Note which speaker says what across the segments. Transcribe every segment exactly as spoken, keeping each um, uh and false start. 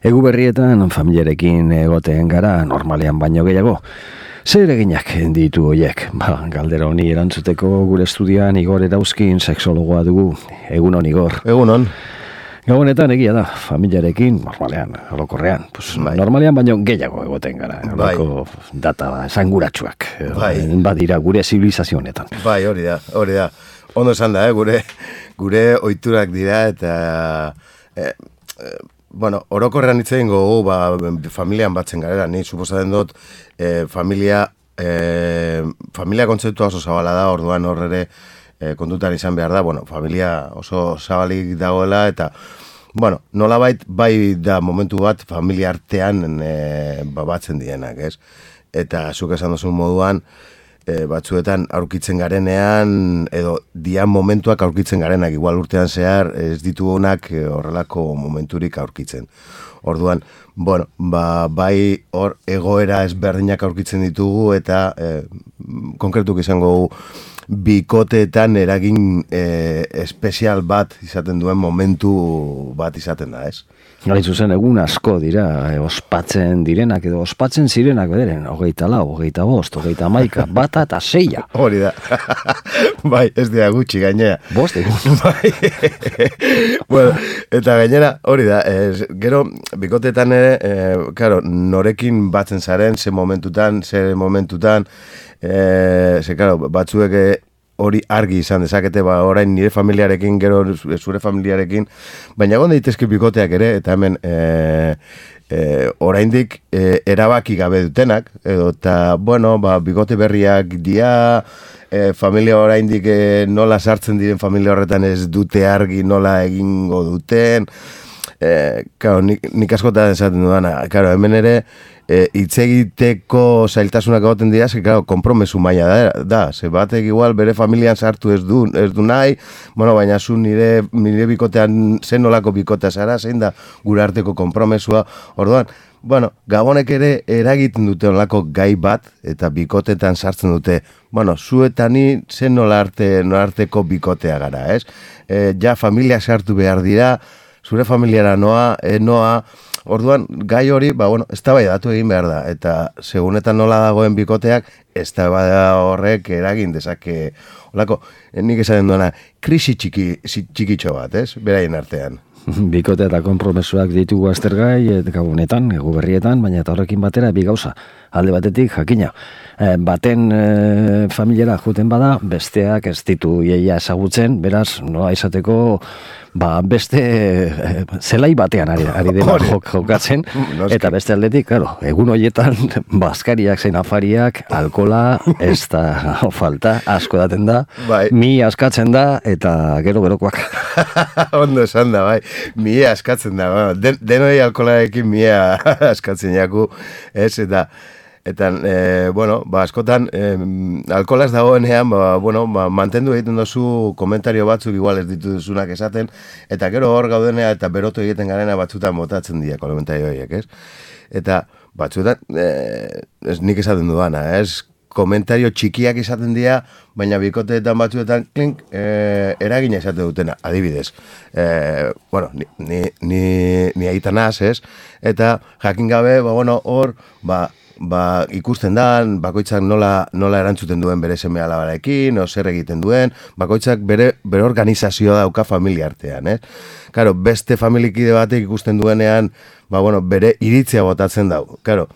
Speaker 1: Egu berrietan familiarekin egoten gara normalean baino gehiago. Zer eginak ditu hoiek? Ba, galdera honi erantzuteko gure estudioan Igor Erauzkin sexologoa dugu. Egunon, Igor.
Speaker 2: Egunon.
Speaker 1: Gabonetan egia da, familiarekin, normalean, orokorrean. Pues, bai. Normalean baino gehiago egoten gara. Horako bai. Data esanguratsuak. Bai. Badira gure zibilizazio honetan.
Speaker 2: Bai, hori da, hori da. Ondo esan da, eh? gure, gure ohiturak dira eta... Eh, eh, Bueno, orokorrean hitz egin gogu, ba, familian batzen garela, ni suposatzen dut, e, familia, e, familia kontzeptua oso zabala da, orduan hor ere e, kontutan izan behar da, bueno, familia oso zabalik dagoela, eta, bueno, nolabait bai da momentu bat familia artean e, ba, batzen dienak, ez? Eta zuk esan duzun moduan, E, batzuetan aurkitzen garenean edo dian momentuak aurkitzen garenak, igual urtean zehar ez ditugunak e, horrelako momenturik aurkitzen. Orduan, bueno, ba, bai hor egoera ezberdinak aurkitzen ditugu eta e, konkretuk izango bikoteetan eragin e, espezial bat izaten duen momentu bat izaten da, ez?
Speaker 1: Hain zuzen, egun asko dira, e, ospatzen direnak edo ospatzen zirenak bederen, hogeita lau, hogeita bost, hogeita maika, bata eta seia.
Speaker 2: Hori da. Bai, ez dira gutxi gainera.
Speaker 1: Bost egun.
Speaker 2: Bai. Bueno, eta gainera, hori da, ez, gero, bikotetan ere, e, claro, norekin batzen zaren, ze momentutan, ze momentutan, e, ze, claro, batzuek hori argi izan dezakete, ba, orain nire familiarekin, gero zure familiarekin, baina egon daitezke bikoteak ere, eta hemen e, e, oraindik e, erabaki gabe dutenak, edo eta, bueno, ba, bikote berriak dia, e, familia oraindik e, nola sartzen diren familia horretan ez dute argi nola egingo duten, e, claro, nik, nik askotan esaten dudana, claro, hemen ere, E, hitz egiteko zailtasunak egoten dira, ze, claro, konpromesu maila da, da, ze batek igual bere familian sartu ez du, ez du nahi, bueno, baina zu nire, nire bikotean, zen nolako bikotea zara, zein da gure arteko konpromesua, orduan, bueno, gabonek ere eragiten dute onlako gai bat, eta bikotetan sartzen dute, bueno, zu eta ni zen nola arte, nola arteko bikotea gara, ez? E, ja, familia sartu behar dira, zure familiara noa, e, noa, orduan, gai hori, ba, bueno, eztabaidatu egin behar da, eta segunetan nola dagoen bikoteak, eztabaida horrek eragin dezake, holako, nik esaten duena, krisi txiki, txikitxo bat, ez, beraien artean.
Speaker 1: Bikote eta konpromesuak ditugu aztergai, gabonetan, egu berrietan, baina eta horrekin batera bi gauza. Alde batetik, jakina, e, baten e, familiara juten bada, besteak ez ditu iaia ezagutzen, beraz, nola izateko, ba, beste e, zelai batean ari, ari dena jok, jokatzen, eta beste aldetik, claro, egun horietan, bazkariak zein afariak, alkola, ez da falta, asko daten da, bai. Mi askatzen da, eta gero gerokoak.
Speaker 2: Ondo esan da, bai, mi askatzen da, bueno, den, denoi alkolarekin mi askatzen jaku, ez, eta... Eta, e, bueno, ba, askotan, e, alkolaz dagoenean, ba, bueno, ba, mantendu egiten dozu komentario batzuk igual ez dituzunak esaten, eta gero hor gaudenea eta berotu egiten garena batzutan botatzen dira komentario horiek, ez? Eta batzutan, e, ez nik esaten dudana, ez? Komentario txikiak izaten dira, baina bikoteetan batzuetan, klink, e, eragina izaten dutena, adibidez. E, bueno, ni, ni, ni, ni aitanaz, ez? Eta jakin gabe, ba, bueno, hor, ba, ba, ikusten da, bakoitzak nola, nola erantzuten duen bere seme alabarekin, o zer egiten duen, bakoitzak bere, bere organizazioa dauka familia artean, eh? Claro, beste familikide batek ikusten duenean, ba, bueno, bere iritzia botatzen dau. Claro,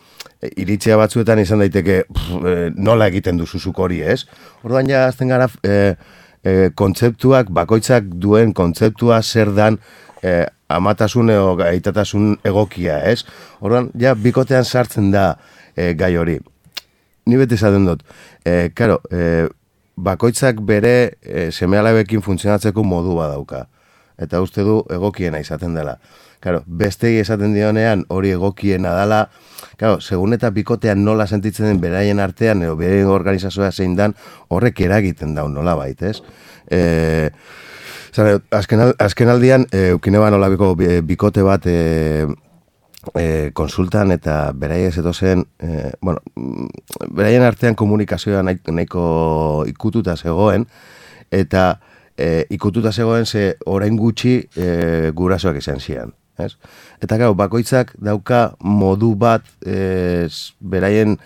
Speaker 2: iritzia batzuetan izan daiteke pff, nola egiten duzuzuk hori, ez? Orduan ja, azten gara, e, e, kontzeptuak, bakoitzak duen kontzeptua zer dan, e, amatasun edo gaitatasun egokia, ez? Orduan, ja, bikotean sartzen da, E, gai hori. Ni beti esaten dut, e, karo, e, bakoitzak bere e, seme-alabekin funtzionatzeko modu badauka. Eta uste du egokiena izaten dela. Karo, bestegi esaten dionean hori egokiena dela, karo, segun eta bikotean nola sentitzen den beraien artean, edo beraien organizazioa zein dan, horrek eragiten daun nola baitez. E, zare, azken, azken aldian, e, eukineba nolabiko bikote bat... E, E, konsultan eta beraiek zetozen, e, bueno, beraien artean komunikazioa nahiko ikututa zegoen, eta e, ikututa zegoen ze orain gutxi e, gurasoak izan zian. ez? Eta gau, bakoitzak dauka modu bat, ez, beraien,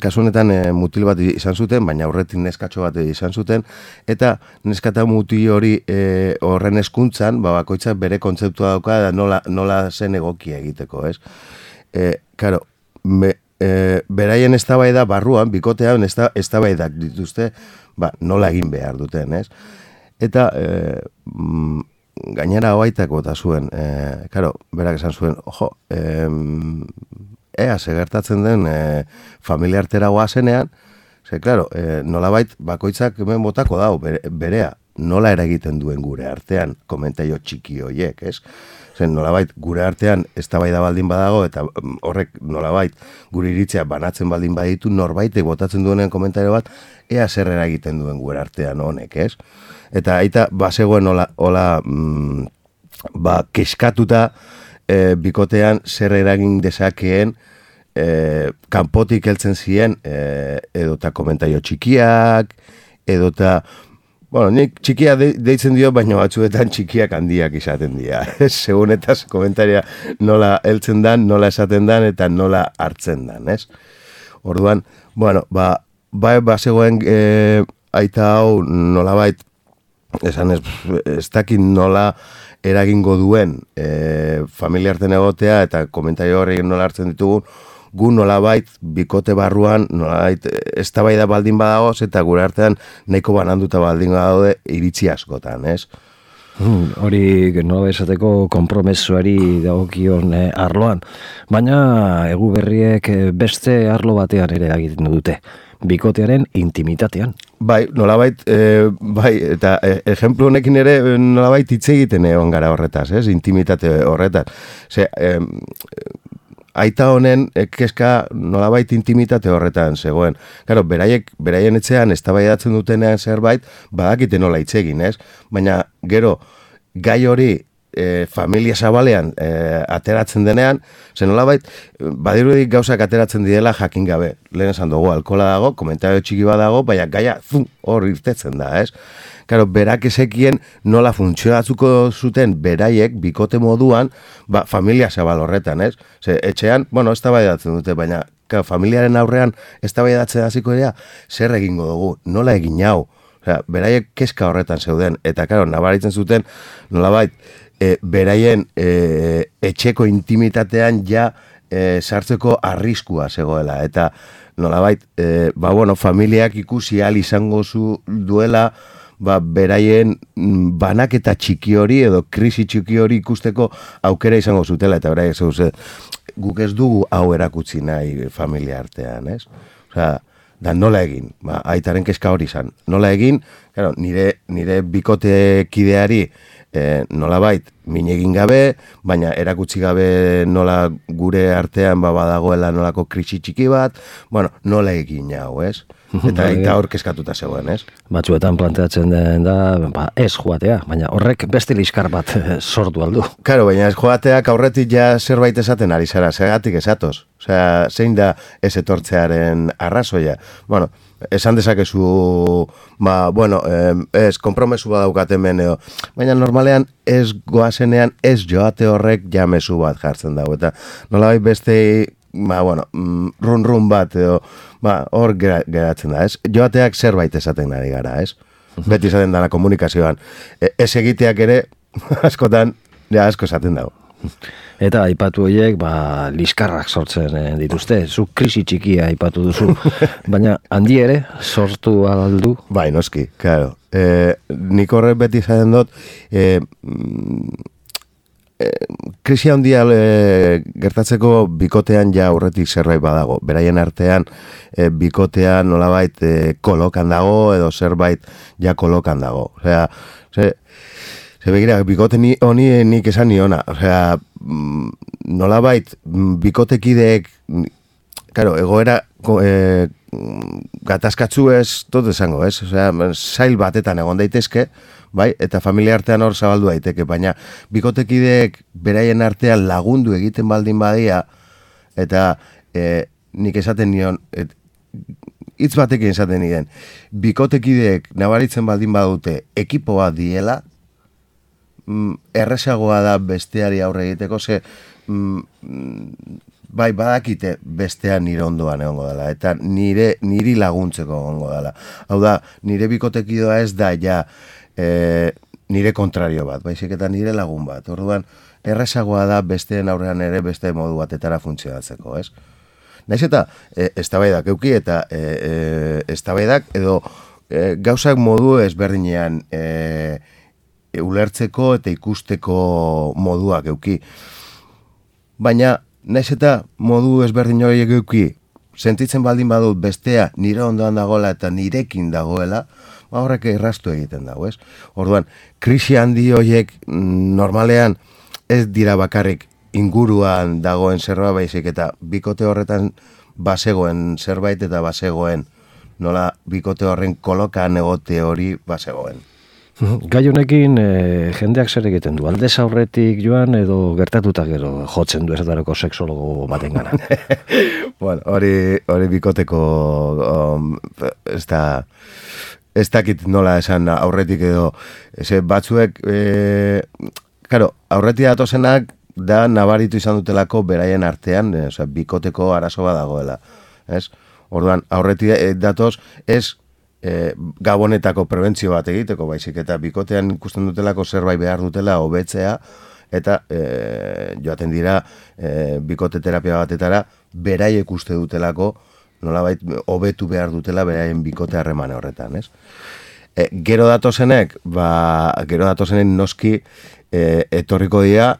Speaker 2: kasu honetan e, mutil bat izan zuten, baina aurretik neskatxo bat izan zuten, eta neskata mutil hori e, horren eskuntzan, ba, bakoitzak bere kontzeptua dauka, da nola, nola zen egokia egiteko, ez? E, karo, me, e, beraien eztabaida barruan, bikotean eztabaidak dituzte, ba, nola egin behar duten, ez? Eta, e, mm, gainera hoaitak bota zuen, e, karo, berak esan zuen, ojo, e, ea, segertatzen den e, familiartera goazenean, ze, klaro, e, nolabait bakoitzak hemen botako dau, bere, berea, nola eragiten duen gure artean, komentaio txiki hoiek, ez? Zen, nolabait, gure artean eztabaida baldin badago, eta horrek nolabait, gure iritzea banatzen baldin baditu, norbaitek botatzen duenen komentario bat, ea zer eragiten duen gure artean honek, ez? Eta aita, bazegoen hola, hola mm, ba, keskatuta, e, bikotean zer eragin dezakeen, e, kanpotik heltzen ziren, e, edota komentario txikiak, edota, bueno, nik txikia de, deitzen dio, baina batzuetan txikiak handiak izaten dira. Segun eta komentaria nola heltzen dan, nola esaten dan, eta nola hartzen dan, ez? Orduan, bueno, ba, ba, ba zegoen e, aita hau nolabait, esan ez, ez dakit nola eragingo duen e, familiarten egotea eta komentario horrekin nola hartzen ditugun, gu nolabait bikote barruan nolabait eztabaida baldin badagoz eta gure artean nahiko bananduta baldin badaude iritzi askotan, ez?
Speaker 1: Hmm, hori nola esateko konpromesuari dagokion eh, arloan, baina egu berriek beste arlo batean ere egiten dute, bikotearen intimitatean.
Speaker 2: Bai, nolabait, e, bai, eta e, ejemplu honekin ere nolabait hitz egiten egon gara horretaz, ez? Intimitate horretaz. Ze, e, aita honen kezka nolabait intimitate horretan zegoen. Claro, beraiek, beraien etxean eztabaidatzen dutenean zerbait, badakite nola hitz egin, ez? Baina gero gai hori e, familia zabalean e, ateratzen denean, zen nolabait, badirudik gauzak ateratzen direla jakin gabe. Lehen esan dugu, alkohola dago, komentario txiki bat dago, baina gaia zum, hor irtetzen da, ez? Claro, berak ezekien nola funtzionatzuko zuten beraiek bikote moduan, ba, familia zabal horretan, ez? Ze, etxean, bueno, eztabaidatzen dute, baina claro, familiaren aurrean eztabaidatzen hasiko dira, zer egingo dugu, nola egin hau? Osea, beraiek kezka horretan zeuden, eta claro, nabaritzen zuten nolabait, e, beraien e, etxeko intimitatean ja e, sartzeko arriskua zegoela, eta nolabait, e, ba bueno, familiak ikusi ahal izango zu duela, ba, beraien banaketa txiki hori edo krisi txiki hori ikusteko aukera izango zutela, eta beraiek zeuze, guk ez dugu hau erakutsi nahi familia artean, ez? Osea, da nola egin, ba, aitaren kezka hori izan. Nola egin, claro, nire, nire bikotekideari e, nolabait min egin gabe, baina erakutsi gabe nola gure artean ba, badagoela nolako krisi txiki bat, bueno, nola egin hau, ez? Eta aita hor kezkatuta zegoen, ez?
Speaker 1: Batzuetan planteatzen den da, ba, ez joatea, baina horrek beste liskar bat sortu aldu.
Speaker 2: Karo, baina ez joateak aurretik ja zerbait esaten ari zara, segatik esatoz. Osea, zein da ez etortzearen arrazoia. Bueno, esan dezakezu, ba, bueno, ez, konpromesu bat daukat hemen, edo. Baina normalean ez goazenean ez joate horrek jamezu bat jartzen dago. Eta nolabait beste, ba, bueno, run-run bat, edo, ba, hor geratzen da, ez? Joateak zerbait esaten ari gara, ez? Beti esaten dara komunikazioan. E, ez egiteak ere, askotan, ja, asko esaten dago.
Speaker 1: Eta aipatu horiek, ba, liskarrak sortzen eh, dituzte, zu krisi txikia aipatu duzu, baina handi ere sortu aldu?
Speaker 2: Bai, noski, claro. E, nik horrek beti esaten dut, e, e, krisi handia e, gertatzeko bikotean ja aurretik zerbait badago. Beraien artean e, bikotean nolabait e, kolokan dago edo zerbait ja kolokan dago. Osea, ze, ze begira, bikote ni, honi nik esan niona. Osea, nolabait bikotekideek, claro, egoera e, gatazkatzu ez, tot esango, ez? Osea, zail batetan egon daitezke, bai, eta familia artean hor zabaldu daiteke, baina bikotekideek beraien artean lagundu egiten baldin badia, eta e, nik esaten nion, et, hitz batekin esaten nien, bikotekideek nabaritzen baldin badute ekipo bat diela, mm, errezagoa da besteari aurre egiteko, ze mm, bai badakite bestea nire ondoan egongo dela, eta nire niri laguntzeko egongo dela. Hau da, nire bikotekidoa ez da ja e, nire kontrario bat, baizik eta nire lagun bat. Orduan, errezagoa da besteen aurrean ere beste modu batetara funtzionatzeko, ez? Naiz eta e, eztabaidak euki eta e, e, eztabaidak edo e, gauzak modu ezberdinean e, e, ulertzeko eta ikusteko moduak euki. Baina, naiz eta modu ezberdin horiek euki, sentitzen baldin badut bestea nire ondoan dagoela eta nirekin dagoela, ba horrek erraztu egiten dago, ez? Orduan, krisi handi horiek normalean ez dira bakarrik inguruan dagoen zerbait, baizik eta bikote horretan bazegoen zerbait eta bazegoen, nola bikote horren kolokan egote hori bazegoen.
Speaker 1: Gai honekin e, jendeak zer egiten du, aldez aurretik joan edo gertatuta gero jotzen du esatarako sexologo baten gana?
Speaker 2: Bueno, hori, hori bikoteko um, ez da, ez dakit nola esan aurretik edo, ez batzuek, e, karo, aurretik datozenak da nabaritu izan dutelako beraien artean, e, oza, bikoteko arazo bat dagoela, ez? Orduan, aurretik datoz, ez E, gabonetako prebentzio bat egiteko, baizik eta bikotean ikusten dutelako zerbait behar dutela hobetzea eta e, joaten dira e, bikote terapia batetara beraiek uste dutelako nolabait hobetu behar dutela beraien bikote harremane horretan, ez? E, gero datozenek, ba, gero datozenek noski e, etorriko dira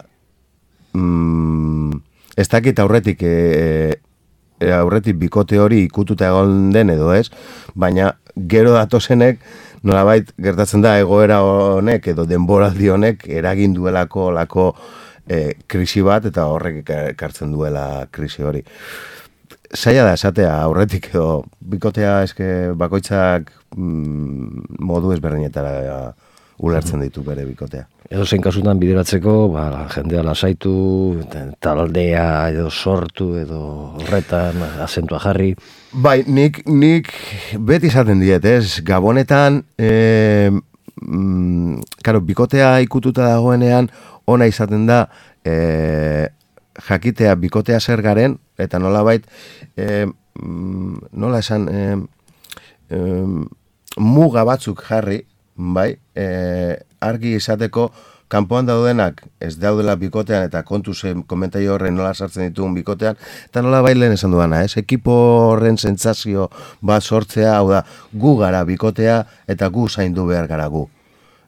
Speaker 2: mm, ez dakit aurretik e, e, aurretik bikote hori ikututa egon den edo ez, baina gero datozenek, nolabait gertatzen da egoera honek edo denboraldi honek eragin duelako lako e, krisi bat eta horrek ekartzen duela krisi hori. Zaila da esatea aurretik edo bikotea eske bakoitzak mm, modu ezberdinetara ulertzen ditu bere bikotea.
Speaker 1: Edo zein kasutan bideratzeko, ba, jendea lasaitu, taldea edo sortu edo horretan azentua jarri.
Speaker 2: Bai, nik, nik beti izaten diet, ez? Gabonetan, e, mm, karo, bikotea ikututa dagoenean, ona izaten da, e, jakitea bikotea zer garen, eta nolabait, e, nola esan, e, e, muga batzuk jarri, bai, e, argi izateko, kanpoan daudenak ez daudela bikotean eta kontu zen komentario horren nola sartzen ditugun bikotean, eta nola bailen esan duana, ez? Ekipo horren sentsazio bat sortzea, hau da, gu gara bikotea eta gu zaindu behar gara gu.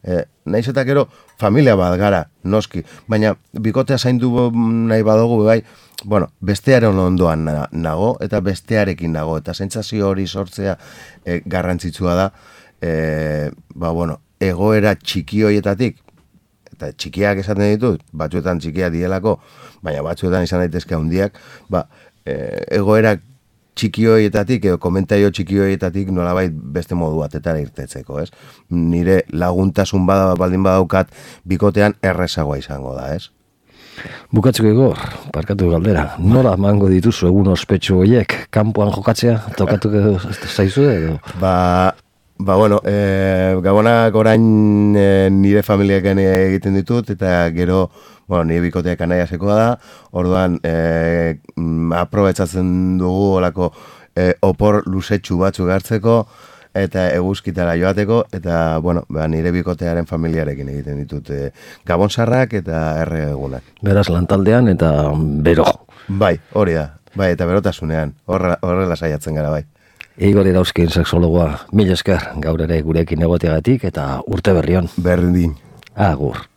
Speaker 2: E, naiz eta gero, familia bat gara, noski, baina bikotea zaindu nahi badugu, bai, bueno, bestearen ondoan nago eta bestearekin nago, eta sentsazio hori sortzea e, garrantzitsua da, e, ba, bueno, egoera txiki horietatik, eta txikiak esaten ditut, batzuetan txikiak dielako, baina batzuetan izan daitezke handiak, ba, e, egoera txiki horietatik, edo komentario txiki horietatik nolabait beste modu batetara irtetzeko, ez? Nire laguntasun bada baldin badaukat bikotean errezagoa izango da, ez?
Speaker 1: Bukatzeko Igor, parkatu galdera, nola emango dituzu egun ospetsu horiek, kanpoan jokatzea, tokatuko zaizu edo?
Speaker 2: Ba, Ba, bueno, e, gabonak orain e, nire familiaken egiten ditut, eta gero, bueno, nire bikoteak anaiasekoa da, orduan, e, aprobetsatzen dugu olako e, opor luzetxu batzuk hartzeko, eta eguzkitara joateko, eta, bueno, ba, nire bikotearen familiarekin egiten ditut e, gabonsarrak eta erre egunak.
Speaker 1: Beraz, lantaldean eta bero.
Speaker 2: Bai, hori da, bai, eta berotasunean, horrela saiatzen gara, bai.
Speaker 1: Igor Irauzkin sexologoa, mila esker gaur ere gurekin egoteagatik eta urte berrion.
Speaker 2: Berdin.
Speaker 1: Agur.